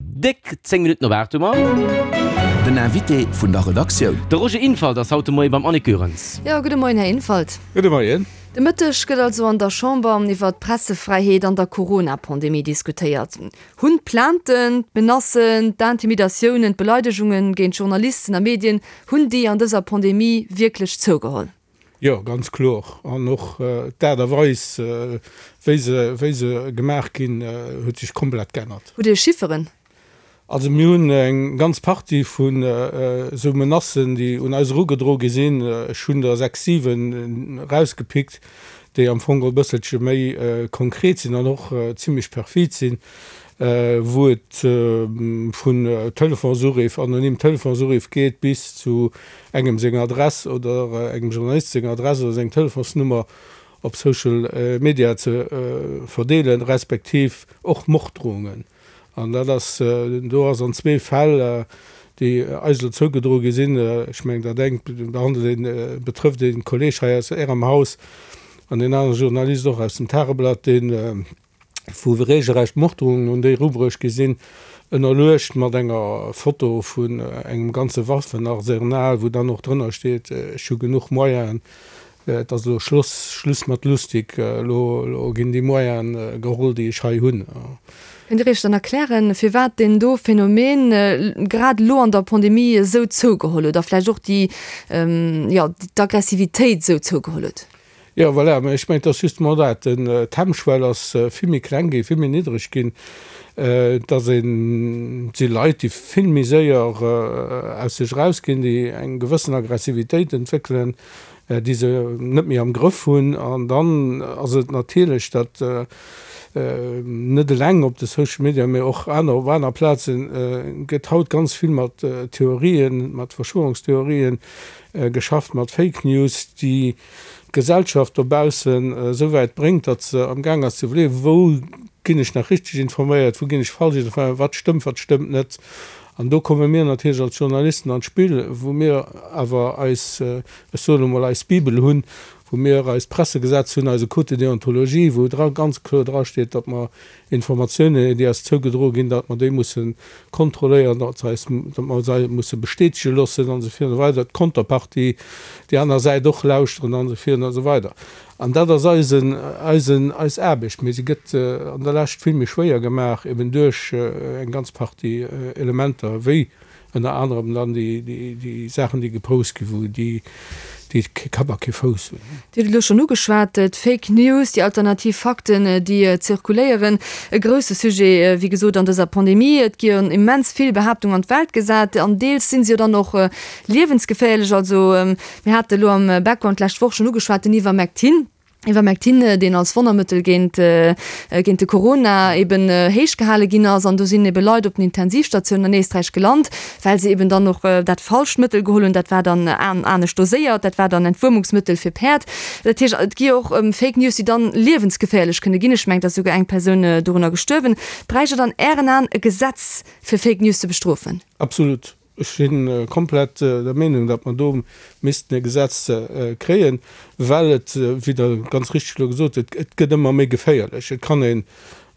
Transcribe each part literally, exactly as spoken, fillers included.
Déck zéng Minutten op aacht hu mer. Den Invité vun der Redaktioun. De Roger Infalt ass haut de Moie beim Annick Goerens. Jo, gudde Moien, Här Infalt. Gudde Moien. De Mëtteg gëtt also an der Chamber iwwer d'Pressefräiheet an der Corona-Pandemie diskutéiert. Hunn d'Plainten, d'Menacen, d'Intimidatiounen, d'Beleidegungen géint Journalisten a Medien, hunn déi an dëser Pandemie wierklech zougeholl? Jo, ganz kloer. An och d'Aart a Weis, wéi se, wéi se gemaach ginn, huet sech komplett geännert. Hutt Dir Chifferen? Also mir hunn eng ganz Partie vun esou Menacen, déi un eis erugedro gi sinn. Ech hunn der sechs, siwen erausgepickt, déi am Fong e bësselche méi konkret sinn an och zimlech perfid sinn, wou et vun Telefonsuriff, anonym Telefonsuriff geet bis zu engem senger Adress oder engem Journalist senger Adress oder seng Telefonsnummer op Social Media ze verdeelen, respektiv och Morddrohungen. An dat ass, do ass an zwee Fäll, déi eis elo zougedroe gi sinn, ech mengen, dat engt behandelt een, betrëfft ee Kolleeg hei aus Ärem Haus an deen anere Journalist och aus dem Tageblatt, deen, wou regelrecht Morddrohungen un déi erubruecht gi sinn, ënnerluecht mat enger Foto vun engem ganze Waffenarsenal, wou dann och drënner steet, ech hu genuch Moyenen, Et ass elo Schluss, Schluss mat lustig, elo, elo ginn déi Moyene geholl, déi ech hei hunn. Kënnt Dir Iech dann erklären, firwat deen do Phänomen grad elo an der Pandemie esou zougeholl huet a vläicht och déi, jo, d'Aggressivitéit esou zougeholl huet? Jo, voilà, mä ech mengen, et ass justement dat, d'Hemmschwell ass vill méi kleng ginn, vill méi niddreg ginn, et ass een, et si Leit, déi vill méi séier aus sech erausginn, déi eng gewëssen Aggressivitéit entwéckelen, déi se net méi am Grëff hunn. An dann ass et natierlech, datt net eleng op de Social Media, mee och aner, op aner Plaze gëtt haut ganz vill mat Theorien, mat Verschwörungstheorien geschafft, mat Fake News, déi d'Gesellschaft dobaussen esou wäit bréngt, datt se amgaang ass ze iwwerleeën, wou ginn ech nach richteg informéiert, wou ginn ech falsch informéiert, wat stëmmt, wat stëmmt net. An do komme mir natierlech als Journalisten an d'Spill, wou mir awer eis, ech soen elo mol, eis Bibel hunn, wou mir eist Pressegesetz hunn, eise Code de déontologie, wou dra ganz kloer drasteet, datt mer Informatiounen, déi eis zougedroe ginn, datt mer déi musse kontrolléieren, datt se eis, datt mer se musse bestätege loossen an esou virun a weider, d'Konterpartie, déi aner Säit och lauschteren an esou virun a sou weider. An dat ass eisen, eisen, eis Aarbecht, mee se gëtt an der Lescht vill méi schwéier gemaach, eben duerch eng ganz Partie Elementer, wéi ënner anerem dann déi, déi, déi Saachen, déi gepost ginn, wou déi, déi kee Kapp a kee Fouss hunn. Dir hutt et elo schonn ugeschwat, d'Fake News, déi alternativ Fakten, déi zirkuléieren. E grousse Sujet, wéi gesot, an dëser Pandemie. Et gi jo immens vill Behaaptungen an d'Welt gesat an deels si se jo dann och liewensgeféierlech. Also mir hate elo am Background d'lescht Woch schonn ugeschwat, den Ivermectin, Ivermectin, deen als Wonnermëttel géint, géint de Corona eben héich gehale ginn ass. An do sinn ebe Leit op den Intensivstatiounen an Éisträich gelant, well se eben dann och dat falscht Mëttel geholl hunn. Dat war dann anescht doséiert, dat war dann Entwuermungsmëttel fir Päerd. Dat heescht, et gi och Fake News, déi dann liewensgeféierlech kënne ginn. Ech mengen, et ass souguer eng Persoun dorunner gestuerwen. Bräicht et an Ären Aen e Gesetz, fir Fake News ze bestrofen? Absolut. Ech si komplett der Meenung, datt mer do missten e Gesetz kréien, well et, wéi Der ganz richteg elo gesot hutt, et gëtt ëmmer méi geféierlech. Et kann een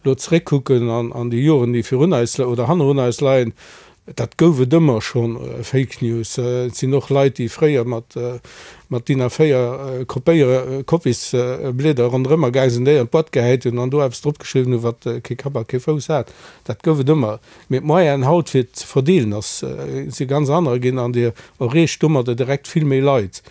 elo zeréckkucken an déi Joren, déi virun eis oder hannerun eis leien, dat gouf et ëmmer schonn, Fake News. Et sinn och Leit, déi fréier mat DIN A véier Kopéier, Kopisblieder ronderëmmer gaang sinn, déi an d'Boîte gehäit hunn an do eppes dropgeschriwwen hunn, wat kee Kapp a kee Fouss hat. Dat gouf et ëmmer. Mee d'Moyenen haut fir et ze verdeelen ass, si ganz anerer ginn an Dir erreecht domadder direkt vill méi Leit.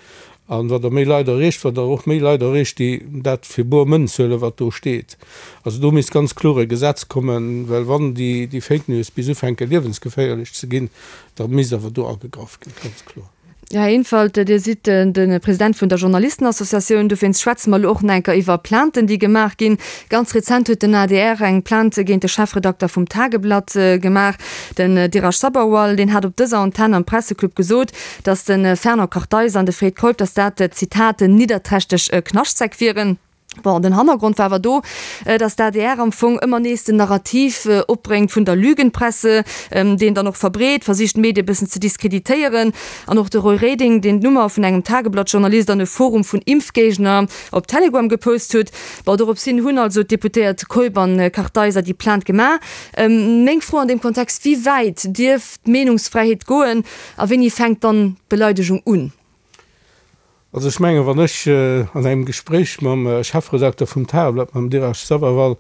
An wat Der méi Leit erreecht, wat Der och méi Leit erreecht, déi dat fir bor Mënz huelen, wat do steet. Also do misst ganz kloer e Gesetz kommen, well wann déi Fake News bis ufänke liewensgeféierlech ze ginn, da misst awer do agegraff ginn, ganz kloer. Här Infalt, Dir sidd de President vun der Journalistenassociatioun. Dowéinst schwätze mer elo och nach eng Kéier iwwer Plainten, déi gemaach ginn. Ganz rezent huet den A D R eng Plainte géint de Chefredakter vum Tageblatt gemaach, den Dhiraj Sabharwal. Deen hat op dëser Antenn am Presseclub gesot, datt de Fernand Kartheiser an de Fred Keup, datt dat, Zitat, nidderträchteg Knaschtsäck wieren. Bon, den Hannergrond war awer do, datt d'ADR am Fong ëmmer nees den Narrativ opbréngt vun der Lügenpresse, deen dann och verbreet, versicht d'Medie e bëssen ze diskreditéieren. An och de Roy Reding, deen d'Nummer vun engem Tageblatt-Journalist an e Forum vun Impfgéigner op Telegram gepost huet. Bon, dorops hin hunn also d'Deputéiert Keup an Kartheiser déi Plainte gemaach. Meng Fro an deem Kontext, Wéi wäit dierf d'Meenungsfräiheet goen a wéini fänkt dann d'Beleidegung un? Also ech mengen, wann ech an engem Gespréich mam Chefredakter vum Tageblatt, mam Dheeraj Sabharwal,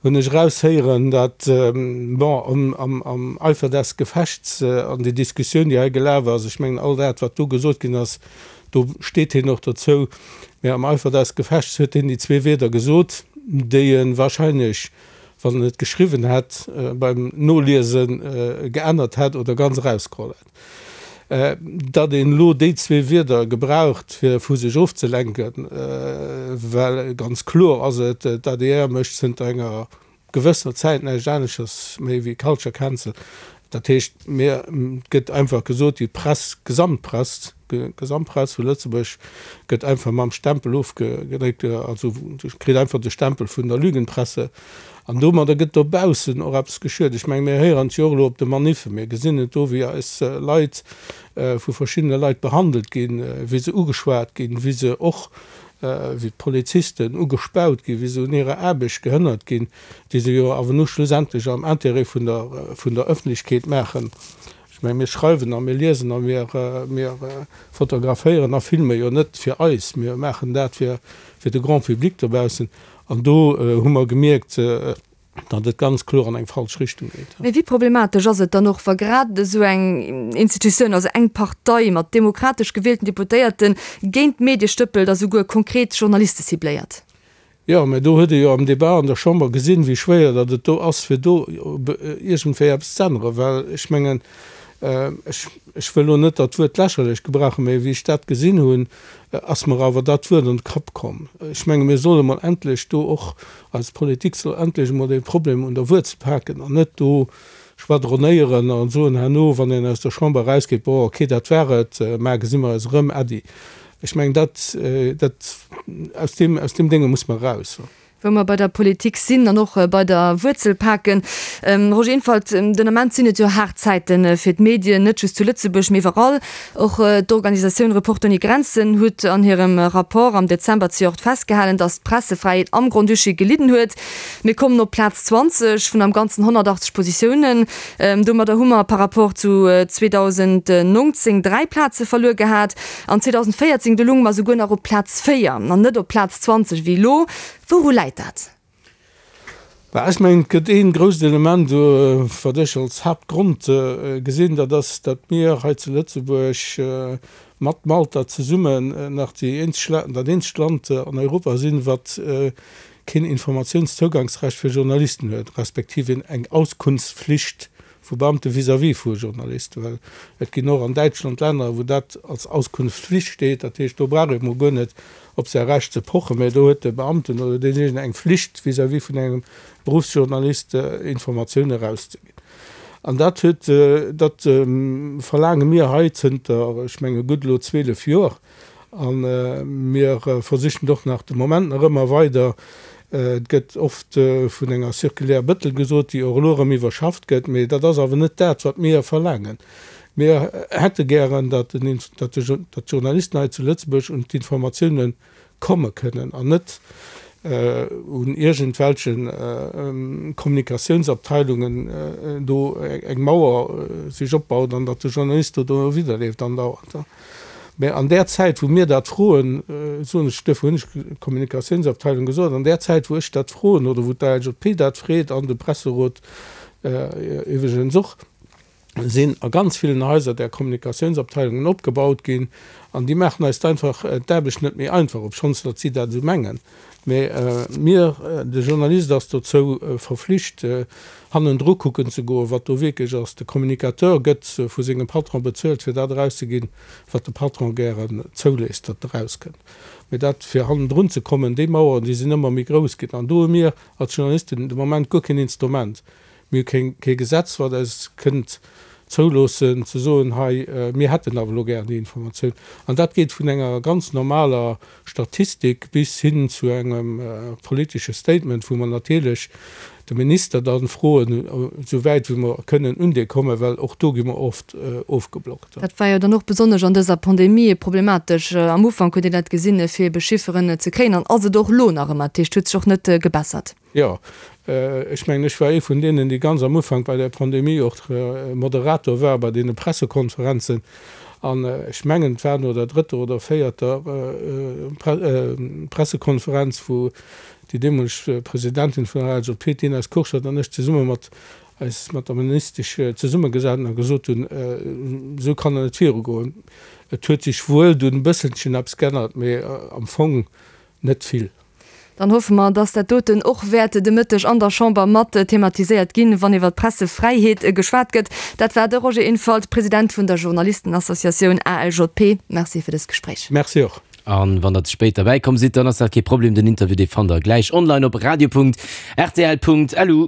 hunn ech eraushéieren, datt, bon, am Eifer des Gefechts an déi Diskussioun, déi hei gelaf ass, ech mengen, all dat, wat do gesot ginn ass, do steet hien och dozou, mä am Eifer des Gefechts huet hien déi zwee Wierder gesot, déi e wahrscheinlech, wann en et geschriwwen hätt, beim Noliese geännert hätt oder ganz erausgeholl hätt. Datt een elo déi zwee Wierder gebraucht, fir vu sech ofzelenken, well ganz kloer ass et, d'ADR mécht zënter enger gewëssener Zäit näischt aneschters méi wéi Culture Cancel. Dat heescht, mir, et gëtt einfach gesot, déi Press, d'Gesamtpress, d'Gesamtpress vu Lëtzebuerg gëtt einfach mam Stempel ofgedréckt, also kritt einfach de Stempel vun der Lügenpresse. An domadder gëtt dobaussen och eppes geschuet. Ech mengen, mir héieren et jo och elo op de Maniffen, mir gesinn et do, wéi eis Leit vu verschiddene Leit behandelt ginn, wéi se ugeschwat ginn, wéi se och, wéi d'Polizisten ugespaut ginn, wéi se un hirer Aarbecht gehënnert ginn, déi se jo awer nu schlussendlech am Intérêt vun der, vun der Öffentlechkeet maachen. Ech mengen, mir schreiwen a mir liesen a mir, mir fotograféieren a filme jo net fir eis, mir maachen dat fir, fir de Grand public dobaussen. An do hu mer gemierkt, datt et ganz kloer an eng falsch Richtung geet. Mee wéi problematesch ass et dann och, wa grad esou eng Institutioun, also eng Partei mat demokratesch gewielten Deputéierten, géint d'Medie stëppelt a souguer konkret Journaliste cibléiert? Jo, mä do huet ee jo am Debat an der Chamber gesinn, wéi schwéier datt et do ass, fir do iergendwéi eppes z'änneren. Well ech mengen, ech, ech wëll elo net dat Wuert lächerlech gebrauchen, mä wéi ech dat gesinn hunn, ass mer awer dat Wuert an de Kapp komm. Ech menge mir solle mol endlech do och, eis Politik soll endlech emol dee Problem un der Wuerzel paken an net do schwadronéieren a soen herno, wann een aus der Chamber erausgeet, bon, okay, dat war et, mar gesi mer eis erëm, äddi. Ech mengen, dat, dat, aus deem, aus deem Dénge muss mer eraus. Wou mer bei der Politik sinn an och bei der Wuerzel paken, Roger Infalt, den Ament sinn et jo haart Zäite fir d'Medien, net just zu Lëtzebuerg, mee iwwerall. Och d'Organisatioun Reporter ouni Grenzen huet an hirem Rapport am Dezember zejoert festgehalen, datt d'Pressefräiheet am Grand-Duché gelidden huet. Mir kommen op Plaz zwanzeg vun am Ganzen honnertachtzeg Positiounen. Domadder hu mer par rapport zu zweedausendnongzéng dräi Plaze verluer gehat. An zweedausendvéierzéng, do lounge mer souguer nach op Plaz véier an net op Plaz zwanzeg wéi elo. Wouru läit dat? Bah, ech mengen, et gëtt ee grousst Element, wat ech als Haaptgrond gesinn, dat ass, datt mir hei zu Lëtzebuerg mat Malta zesummen nach déi eenzeg, dat eenzegt Land an Europa sinn, wat keen Informatiounszougangsrecht fir Journalisten huet, respektiv eng Auskunftspflicht vu Beamte vis-à-vis vu Journalisten. Well et ginn och an Däitschland Länner, wou dat als Auskunftspflicht steet. Dat heescht, do brauch ee mol guer net op säi Recht ze pochen, mä do huet de Beamten oder deenjéinegen eng Flicht vis-à-vis vun engem Beruffsjournalist, Informatioune erauszeginn. An dat huet, dat verlaange mir hei zënter, ech menge gutt elo zwielef Joer. A mir versichen et och nach de Moment nach ëmmer weider. Et gëtt oft vun enger Circulaire Bettel gesot, déi och elo erëm iwwerschafft gëtt, mee dat ass awer net dat, wat mir verlaangen. Mir hätte gären, datt d'Journalisten hei zu Lëtzebuerg un d'Informatiounen komme kënnen an net un iergendwelche Kommunikatiounsabteilungen do eng Mauer sech opbaut an datt de Journalist do doriwwerleeft andauernd. Mä an där Zäit, wou mir dat froen, soen ech, duerfir hunn ech Kommunikatiounsabteilung gesot, an där Zäit, wou ech dat froen oder wou d'ALJP dat freet an de Presserot iwwregens och, sinn a ganz villen Haiser där Kommunikatiounsabteilungen opgebaut ginn an déi maachen eis einfach d'Aarbecht net méi einfach, obschonns datt si dat esou mengen. Mä mir, de Journalist ass dozou verflicht, hannendru kucken ze goen, wat do wierklech ass. De Communicateur gëtt vu sengem Patron bezuelt, fir dat erauszeginn, wat de Patron gären zouléisst, datt erauskënnt. Mä dat, fir hannendrun ze kommen, déi Maueren, déi sinn ëmmer méi grouss ginn. An do hu mir als Journalisten de Moment guer keen Instrument. Mir hu keng, kee Gesetz, wat eis kënnt zouloossen ze soen, hei mir hätten awer elo gär déi Informatioun. An dat geet vun enger ganz normaler Statistik bis hin zu engem politesche Statement, wou mer natierlech de Minister dann froen, esou wäit wéi mer kënnen un dee kommen, well och do gi mer oft ofgeblockt. Dat war jo dann och besonnesch an dëser Pandemie problematesch. Am Ufank huet een dat gesinn, fir ebe Chifferen ze kréien, an ass et och elo nach ëmmer. Dat heescht, et huet sech och net gebessert. Jo, ech mengen, ech war ee vun deenen, déi ganz am Ufank bei der Pandemie och Moderator war bei deene Pressekonferenzen. An ech mengen, et war no der drëtter oder véierter Pressekonferenz, wou déi deemoleg Presidentin vun der L S A P, d'Ines Kurschat, an ech zesumme mat eis mat der Ministesch zesummegesat hunn a gesot hunn, esou kann et net virugoen. Et huet sech wuel dunn e bësselchen eppes geännert, mee am Fong net vill. Dann hoffe mer, dass dat doten och wäert de Mëtteg an der Chamber mat thematiséiert ginn, wann iwwer d'Pressefräiheet geschwat gëtt. Dat war de Roger Infalt, President vun der Journalistenassociatioun A L J P. Merci fir dëst Gespréich. Merci och. An wann der ze spéit derbäi komm sidd, dann ass dat kee Problem, den Interview dee fannt der gläich online op radio Punkt R T L Punkt L U.